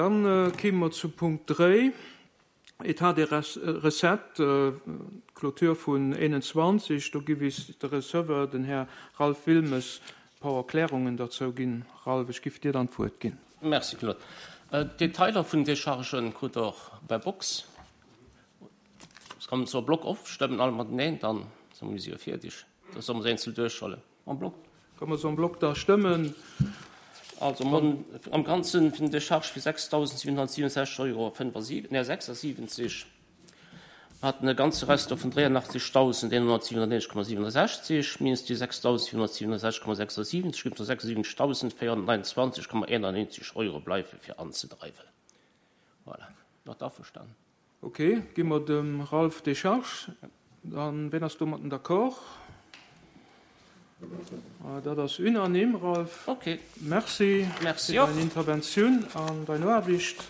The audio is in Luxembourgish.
Dann kéime mer zu Punkt 3, État des recettes, Clôture vun 21. Do giff is de Receveur, den Här Ralph Wilmes, e paar Erklärungen derzou ginn. Ralph, ech giff dir dann d'Wuert ginn. Merci Claude. D'Detailer vun den Dechargen krut der och per Box. Kann mer se en bloc ofstëmmen, all mateneen, dann si mer jo fierdeg. Da solle mer se eenzel duerchhuelen. En bloc. Kann mer se en bloc da stëmmen? Also mer hunn am Ganzen fir den Decharge fir 6.767 Euro 76. Mer haten e ganze Resto vun 83.197,67 minus déi 6.767,76 gëtt 76.429,91 Euro bleiwe fir anzedreiwen. Voilà. Mat averstanen. Ok, gi mer dem Ralph Décharge. Dann, ween ass domatten d'accord? Dat ass unanime, Ralph. Ok. Merci fir dein Interventioun an dein Aarbicht.